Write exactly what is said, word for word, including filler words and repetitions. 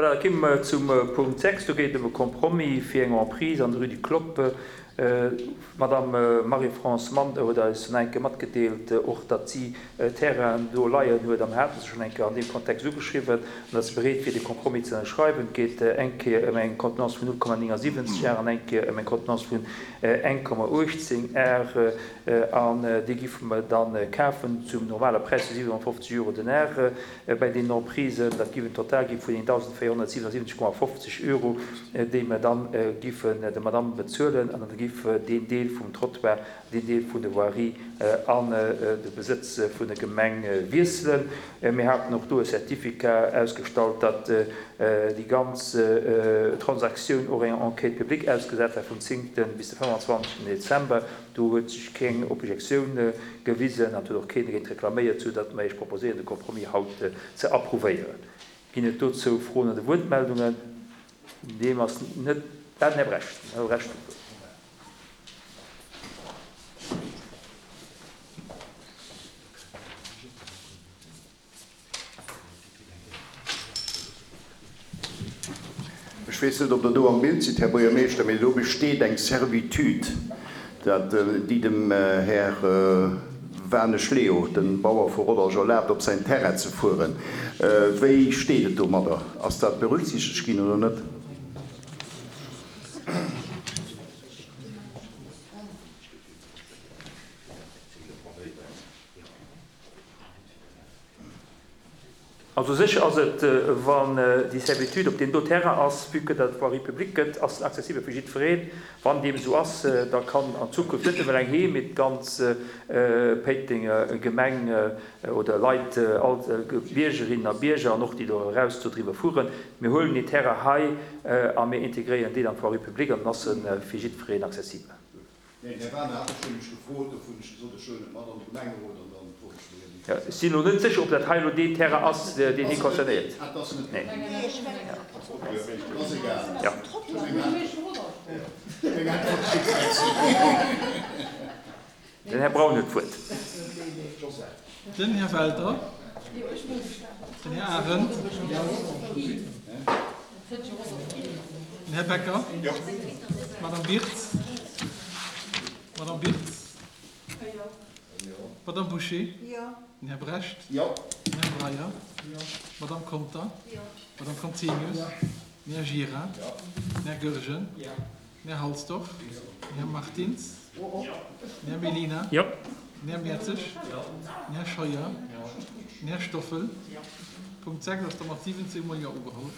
Voilà, da komme mer zum Punkt sechs. Do geet et ëm e Compromis fir eng Emprise an der Rue du Clopp. D'Madame Marie-France Mander huet eis schonn eng Kéier matgedeelt, och datt si Terrainen do leien huet, a mir haten se schonn eng Kéier an deem Kontext ugeschriwwen, an datt se bereet wier, de Compromis ze ënnerschreiwen. Et geet eng Kéier ëm eng Contenance vun null Komma néngasiwwenzeg Ar an eng Kéier ëm eng Contenance vun eng Komma uechtzéng Ar, an déi giffe mer dann kafen zum normale Präis vu siwenhonnertfofzeg Euro den Ar bäi deenen Emprisen. Dat giff en Total gi vun eendausendvéierhonnertsiwenundsiwwenzeg Komma fofzeg Euro, déi mer dann giffen der Madame bezuelen, an dann giff deen Deel vum Trottoir, deen Deel vun der Voirie an de Besëtz vun der Gemeng wiesselen. Mir haten och do e Certificat ausgestallt, datt déi ganz Transaktioun och enger Enquête publique ausgesat war vum zéngten bis de fënnefanzwanzegsten Dezember. Do huet sech keng Objektioun gewisen an et huet och keen dogéint reklaméiert, soudatt mer Iech proposéieren, de Compromis haut ze approuvéieren. Ginn et dozou Froen oder Wuertmeldungen? Deem ass net. Ah, den Här Brecht. Den Här Brecht huet d'Wuert. Ech weess net, ob Der do am Bild sidd, Här Buergermeeschter, mee do besteet eng Servitude, dat déi dem Här Wanesch Leo, de Bauer vu Rodange, erlaabt, op säin Terrain ze fueren. Wéi steet et domadder? Ass dat berücksichtegt ginn oder net? Also sécher ass et, wann déi Servitude op deem do Terrain ass, vue que dat Voirie publique gëtt, ass en accessibel fir jiddwereen. Wann deem esou ass, da kann an Zukunft net nëmmen eng Heem, mee d'ganz Péitenger Gemeng oder Leit, all Biergerinnen a Bierger an och déi do eraus do driwwer fueren. Mir huelen deen Terrain hei a mir integréieren deen an d'Voirie publique an dann ass e fir jiddwereen accessibel. Neen, Här Werner hat mech nämlech gefrot, dofir hunn ech gesot, ech huelen et mat an de Gemengerot an dann froen ech mech eben. Jo, ech sinn elo net sécher, ob dat hei elo deen Terrain ass, deen hie concernéiert. Ah, et ass net Neen. deen. Ass egal. Jo. Meng Äntwert kritt Merci. Den Här Braun huet d'Wuert. Den Här Welter. Den Här Arendt. Den Här Becker. D'Madame Wirtz. D'Madame Wirtz. D'Madame Bouché. Den Här Brecht. Den Här Breyer. D'Madame Conter. D'Madame Conzemius. Den Här Gira. Den Här Goergen. Den Här Halsdorf. Den Här Martins. Den Här Mellina. Den Här Mertzig. Den Här Scheuer. Den Här Stoffel. Punkt sechs ass da mat siwwenzéng mol Jo ugeholl.